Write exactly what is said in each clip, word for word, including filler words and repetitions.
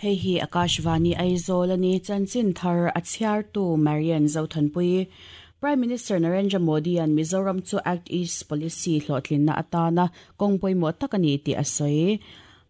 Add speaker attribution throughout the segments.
Speaker 1: Hei hi Akashvani Aizawl ani chanchin thar a chhiartu Marian Zothanpui. Prime Minister Narendra Modi an Mizoram chu Act East Policy hlawhtlinna atana kawng pawimawh tak ani tih a sawi.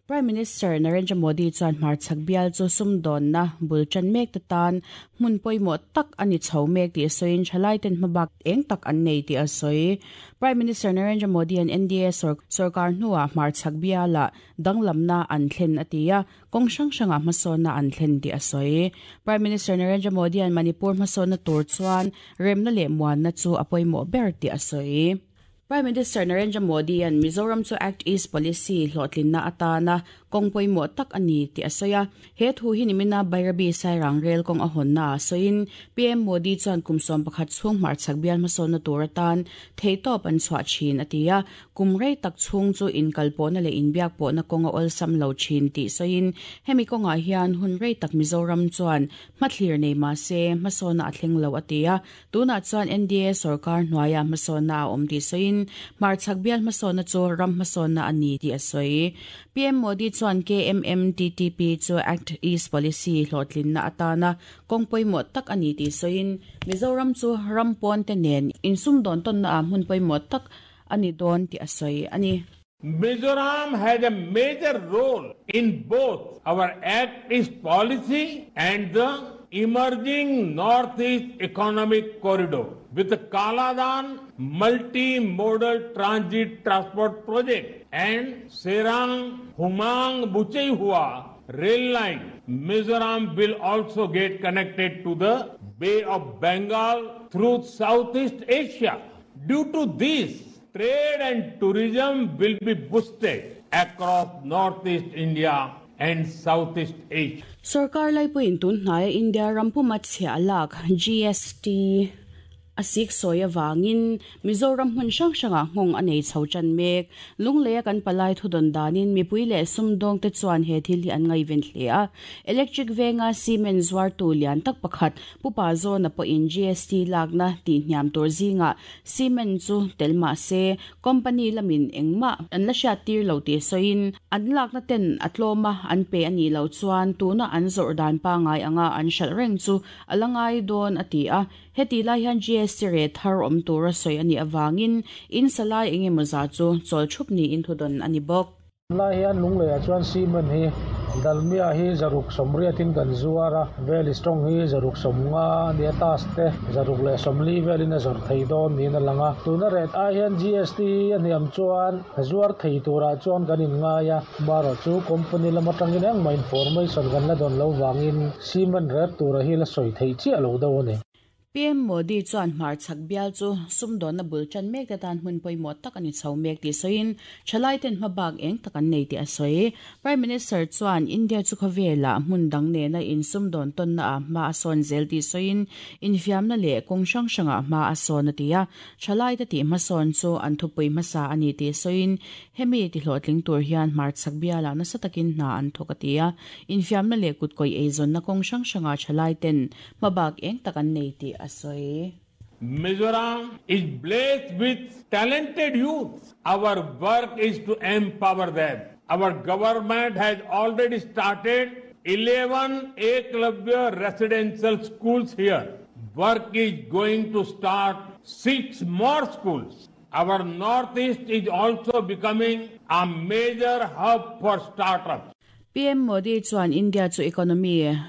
Speaker 1: Prime Minister Narendra Modi chuan hmarchhak bial chu sumdawnna bul tan mek te tan hmun pawimawh tak ani chho mek tih a sawiin thalai ten hmabak eng tak an nei tih a sawi. Prime Minister Narendra Modi an N D A sarkar hnuah hmarchhak biala danglamna an thlen a ti a, kawng hrang hrangah hmasawnna an thlen tih a sawi. Prime Minister Narendra Modi an Manipur hmasawnna tur chuan remna leh muanna chu a pawimawh ber tih a sawi. Prime Minister Narendra Modi an Mizoram chu Act East Policy hlawhtlinna atana kawng pawimawh tak ani tih a sawi a. He thu hi nimina Bairabi Sairang rel kawng a hawnna a sawiin P M Modi chuan kum sawm pakhat chhung hmarchhak bial hmasawnna tur atan theihtawp an chhuah thin a ti a. Kum rei tak chhung chu inkalpawhna leh inbiak pawhna kawng a awlsam lo thin tih sawiin hemi kawngah hian hun rei tak Mizoram chuan hmathlir nei mahse hmasawnna a thleng lo a ti a. Tunah chuan N D A sarkar hnuaia hmasawnna a awm tih sawiin hmarchhak bial hmasawnna chu ram hmasawnna ani tih a sawi. P M Modi chuan K M M T T P chu Act East Policy hlawhtlinna atana kawng pawimawh tak ani tih sawiin Mizoram chu ram pawn te nen insumdawn tawnna ah hmun pawimawh tak ani dawn tih a sawi ani.
Speaker 2: Mizoram has a major role in both our Act East Policy and the emerging Northeast Economic Corridor with the Kaladan Multi-Modal Transit Transport Project and Serang Humang Bucheihua rail line. Mizoram will also get connected to the Bay of Bengal through Southeast Asia. Due to this, trade and tourism will be boosted across Northeast India and Southeast Asia.
Speaker 1: Sarkar laipuiin tun hnaia India rampuma chhia lak G S T asik sawi awangin Mizoram hmun hrang hrangah nghawng a nei chho tan mek. Lungleia kan palai thu dawn danin mipui leh sumdawng te chuan he thil hi an ngaiven hle a. Electric venga cement zuar tu lian tak pakhat pupa zawna pawhin G S T lakna tih hniam tur zingah cement chu tel mahse company lamin engmah an la hriat tir lo tih sawiin an lakna ten a tlawma an pe ani lo chuan tuna an zawrh dan pangai anga an hralh reng chu a la ngai dawn a ti a. Heti lai hian G S T re thar awm tur a sawi ani awangin in salai engemaw za chu chawl thup niin thu dawn ani bawk.
Speaker 3: Lai hian lungleiah chuan cement hi dalmia hi zaruk sawmriatin kan zuar a, vel strong hi zaruk sawmnga ania tas te zaruk leh sawmli velin a zawrh thei dawn niin a lang a. Tuna ret ai hian G S T a hniam chuan zuar thei turah chuan kan inngai a, marawh chu company lam atangin engmah information kan la dawn lo wangin cement ret tura hi la sawi thei chiah lo deuh ani.
Speaker 1: P M Modi chuan hmarchhak bial chu sumdawnna bul tan mek te tan hmun pawimawh tak ani chho mek tih sawiin thalai ten hmabak eng tak an nei tih a sawi. Prime Minister chuan India chu khawvela hmun dang nena insumdawn tawnna ah hma a sawn zel tih sawiin infiamna leh kawng hrang hrangah hma a sawn a ti a. Thalai te tih hmasawn chu an thupui hmasa ani tih sawiin hemi ti hlawhtling tur hian hmarchhak bialah nasa takin hna an thawk a ti a. Infiamna leh kutkawih eizawnna kawng hrang hrangah thalai ten hmabak eng tak an nei tih a sawi.
Speaker 2: Mizoram is blessed with talented youth. Our work is to empower them. Our government has already started eleven Eklavya residential schools here. Work is going to start six more schools. Our Northeast is also becoming a major hub for startups.
Speaker 1: P M Modi chuan India chu economy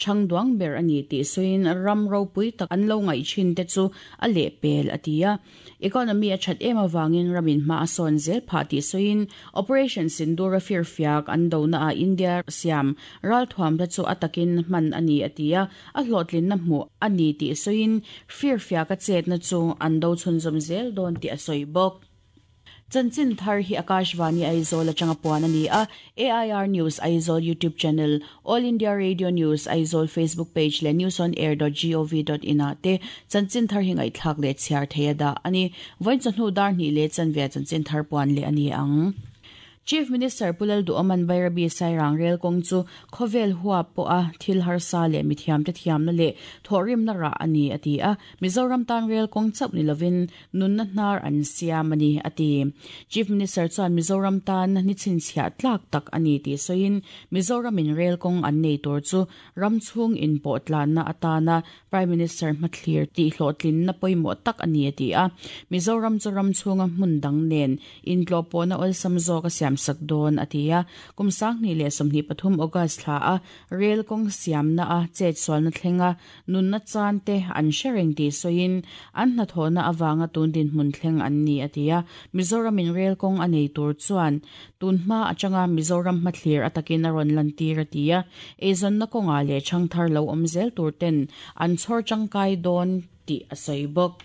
Speaker 1: changduang ber ani tih sawiin ram ropui tak an lo ngaih thin te chu a leh pel a ti a. Economy a that em awangin ramin hma a sawn zel phah tih sawiin Operation Sindoor a firfiak an dona a India siam ral thuam te chu a takin hman ani a ti a. A hlawhtlinna hmuh ani tih sawiin firfiak a chetna chu an do chhunzawm zel dawn tih a sawi bawk. Chanchin thar hi Akashvani Aizawl atanga puan ani a. A I R News Aizawl YouTube channel, All India Radio News Aizawl Facebook page le news on air dot gov dot in a te chanchin thar hi ngaithlak le chhiar theia da ani. Vawiin chawhnu dar hnih le chanve chanchin thar puan le ani ang. Chief Minister Pulal Duoman Bairabi Sairang Rail kong chu khovel huwa po a thil harsa le mithiam te thiam na le thorim na ra ani ati a Mizoram tan rail kong chap ni lovin nun na hnar an siam ani ati Chief Minister chuan Mizoram tan ni chin chhia tlak tak ani ti soin Mizoram in rail kong an nei tur chu ramchhung in po tlan na atana Prime Minister mathlir ti hlotlin na poimo tak ani ati a Mizoram chu ramchhunga hmun dang nen in tlo na ol samzo ka siam sak don atia kumsang ni le somni pathum August thla a rail kong siam na a chet sol na thlenga nun na chan te an sharing ti soin an na thona awanga tun din hmun thleng an ni atia Mizoram in rail kong anei tur chuan tun hma atanga Mizoram mathlir atakin a ron lantir atia ezon na konga le changthar lo omzel tur ten an chhor changkai don ti asai bok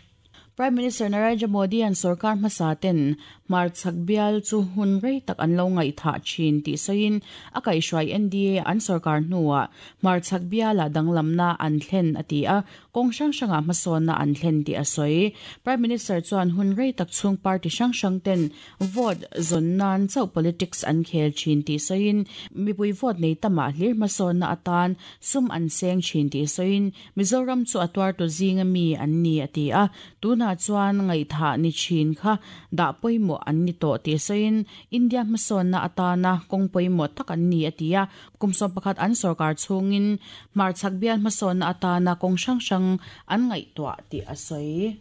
Speaker 1: Prime Minister Narendra Modi an sarkar hmasaten mar chakbial chu hun rei tak an lo ngai tha chin ti soin akai hruai N D A an sarkar hnuwa mar chakbiala danglamna an thlen ati a kong sang sanga hmasawn na an thlen ti a soi Prime Minister chuan hun rei tak chung party sang sang ten vote zon nan chau politics an khel chin ti soin mipui vote nei tama hlir hmasawn na atan sum an seng chin ti soin Mizoram chu atwar to zinga mi an ni ati a tuna chuan ngai tha ni chin kha da poimo an ni to ti soin India hmasawn na atana kong poimo tak an ni atia kumsom pakhat an sarkar chungin mar chakbial hmasawn na atana kong sang sang an ngai to ti asoi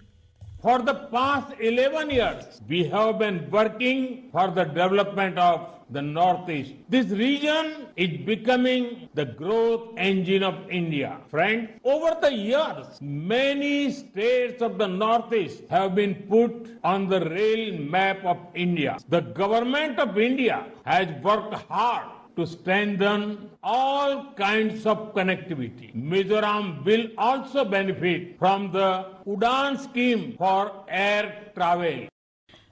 Speaker 2: For the past eleven years, we have been working for the development of the Northeast. This region is becoming the growth engine of India. Friends, over the years, many states of the Northeast have been put on the rail map of India. The government of India has worked hard to strengthen all kinds of connectivity. Mizoram will also benefit from the Udan scheme for air travel.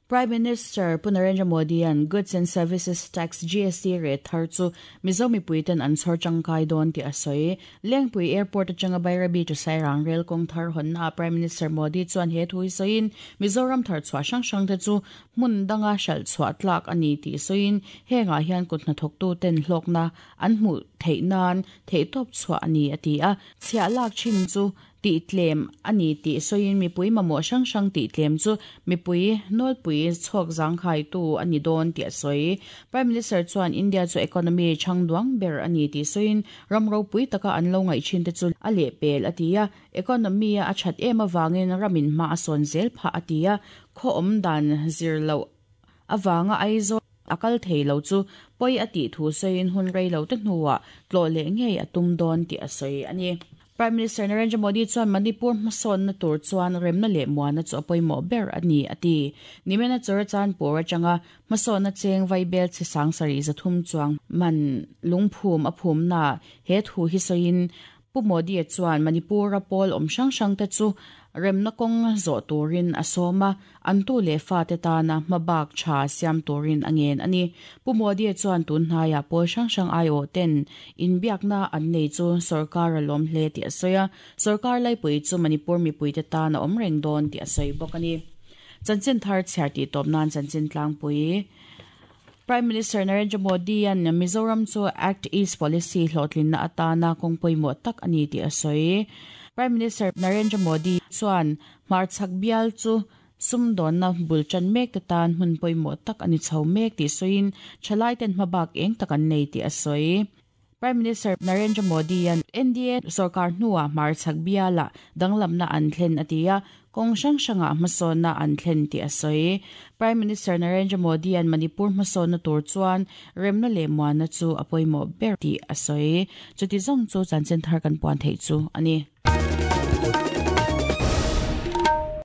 Speaker 1: Prime Minister Narendra Modi an Goods and Services Tax G S T rate thar chu Mizomi puiten an chhor changkai don ti asoi Lengpui Airport atanga Bairabi to Sairang rail kong thar hon na Prime Minister Modi chuan he thui soin Mizoram thar chwa sang sang te chu mun danga shal chwa tlak ani ti soin henga hian kutna thoktu ten hlokna an hmu theinan theitop chwa ani ati a chhia lak chin chu ti tlem ani ti soin mi pui mamo sang sang ti tlem chu mi pui nol pui chok jang khai tu ani don ti soi Prime Minister chuan India chu economy changduang ber ani ti soin ramro pui taka an lo ngai chin te chu ale pel atia economy a chat em awangin ramin ma ason zel pha atia kho om dan zir lo awanga aizo akal theilo chu poi ati thu soin hun rei lo te hnuwa tlo le ngei atum don ti asoi ani Prime Minister Narendra Modi chuan Manipur hmasawn na tur chuan remna leh muana chu pawimawh ber ani ati nimena Churachandpur atanga hmasawn na cheng vaibel chi sang sari zathum chuang man lungphum a phum na he thu hi soin Pu Modi chuan Manipur a pawl awm hrang hrang te chu remna kawng zawh turin a sawma an tu le fa te tana hmabak tha siam turin angen ani Pu Modi chuan tun hnaiah pawl hrang hrang ai aw ten inbiakna an nei chu sarkar a lawm hle ti a sawi a sarkar laipui chu Manipur mipui te tana awm reng dawn ti a sawi bawk ani chanchin thar chhiar tih tawp nan chanchin tlangpui Prime Minister Narendra Modi an Mizoram chu Act East Policy hlotlin na atana kong pawimawh tak ani ti a sawi Prime Minister Narendra Modi chuan mar chakbial chu sumdawn na bulchan mek te tan hmun pawimawh tak ani chho mek ti soin thalai ten hmabak eng tak an nei ti a sawi Prime Minister Narendra Modi an N D A sarkar hnuwa mar chakbiala danglamna an thlen atia kong sang sanga hmasawn na an thlen ti a sawi Prime Minister Narendra Modi an Manipur hmasawn na tur chuan remna leh muana chu a pawimawh ber ti a sawi chuti zawng chu chanchin thar kan puan thei chu ani.